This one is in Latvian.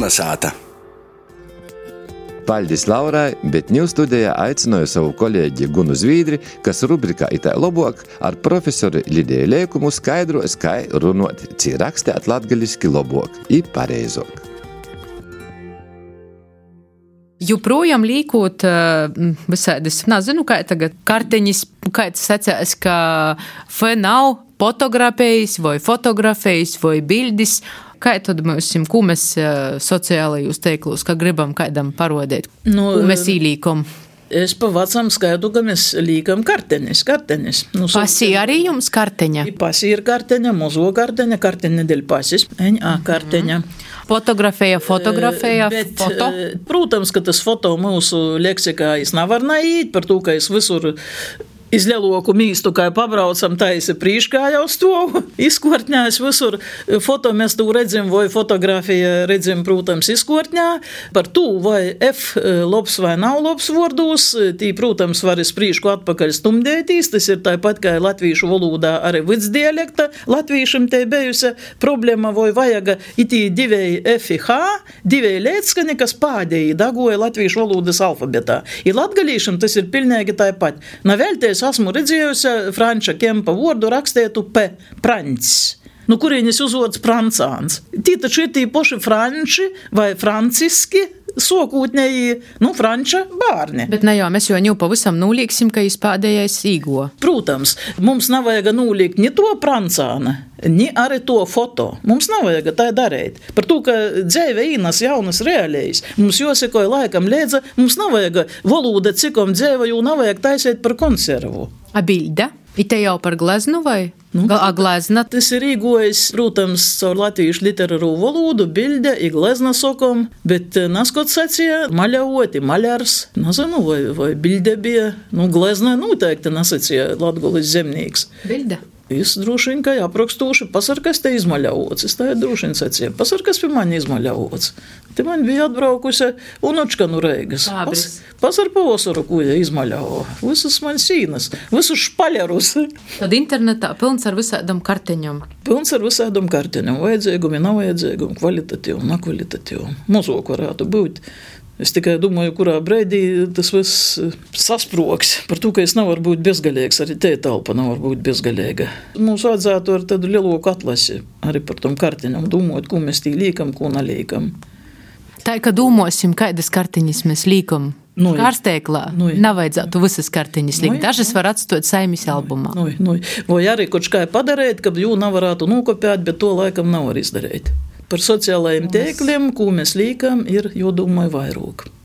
Kalnasāta. Paļdis Laurai, bet ņū studijā aicināju savu kolēģi Gunu Zvīdri, kas rubrikā Itai lobuok ar profesori Lidiju Leikumu skaidros, kai runot, cī rakstēt latgaliski lobuok I pareizok. Joprojām līkot visādas, nezinu, kā tagad karteņas, kā tas sacās, ka nav fotografējis vai fotografējis vai bildis. Kā tad ko mēs sociālajos teiklus, kā gribam kādam parodēt, ko mēs īlīkam? Es pa vecam skaidu, ka mēs līkam kartenis. Pasi arī jums karteņa? Pasi ir karteņa, mozo karteņa dēļ pasis, karteņa. Fotografēja, bet, foto? Protams, ka tas foto mūsu leksikā nevar naiīt, par to, ka es visur iz lieloku mīstu, kā pabraucam, taisi prīškā jau stovu, izkortņās visur. Foto mēs tu redzim, vai fotografija redzim, protams, izkortņā. Par to, vai F labs vai nav labs vārdos, tī, protams, var iz prīšku atpakaļ stumdētīs. Tas ir tāpat, kā latvīšu valodā arī vidsdialekta. Latvīšam te bijusi problēma, vai vajaga itī divēji F I H, divēji lētskani, kas pādēji dagoja latvīšu valodas alfabetā. I latgalīšam tas ir pilnīgi tāpat. Navēlties esmu redzējusi Franča Kempa vārdu rakstētu P. Praņcs. Kurienes uzvods Prancāns. Tī taču ir tī poši Franči vai Franciski sokūtņēji, Franča bārni. Bet mēs jau pavisam nūlīksim, ka jūs pādējais īgo. Protams, mums nav vajag nūlīkt ni to Prancāna, ni arī to foto. Mums nav vajag tā darīt. Par to, ka dzēve īnas jaunas reālējas. Mums jāsekoja laikam liedza, mums nav vajag valoda cikom dzēve, jo nav vajag taisēt par konservu. A bilde? Ite jau par gleznu vai? Glezna? Tas ir īgojis, protams, caur latviešu literāro valodu, bilde, I glezna sokom, bet naskot sacīja maļavoti, maļars, nezinu, vai bilde bija, glezna noteikti nasacīja Latgolis zemnīgs. Bilde? Es droši vien, ka aprakstūši, pasarkas te izmaļavots. Es tā droši vien sacīju, pasarkas pie mani izmaļavots. Te man bija atbraukusi unučka no Reigas. Pasar pavasaru, ko ja izmaļavo. Visus man sīnas, visus špaļarus. Tad internetā pilns ar visādam karteņam. Pilns ar visādam karteņam. Vajadzīgumi, nav vajadzīgumi, kvalitatīvi, nekvalitatīvi. Mozok varētu būt. Es tikai domāju, kurā breidī tas viss sasproks. Par to, ka es nevaru būt bezgalīgs, arī te telpa nevar būt bezgalīga. Mums vajadzētu ar tādu lieloku atlasi arī par tom kartiņam, domāt, ko mēs tī līkam, ko nalīkam. Tā, ka domāsim, kādas kartiņas mēs līkam kārstēklā, nevajadzētu visas kartiņas likt. Dažas var atstāt saimis albumā. Vai arī kaut kā padarīt, ka jū nevarētu nokopēt, bet to laikam nevar izdarīt. Par sociālajiem tēkliem, ko mēs līkam, ir, jo domāju, vairāk.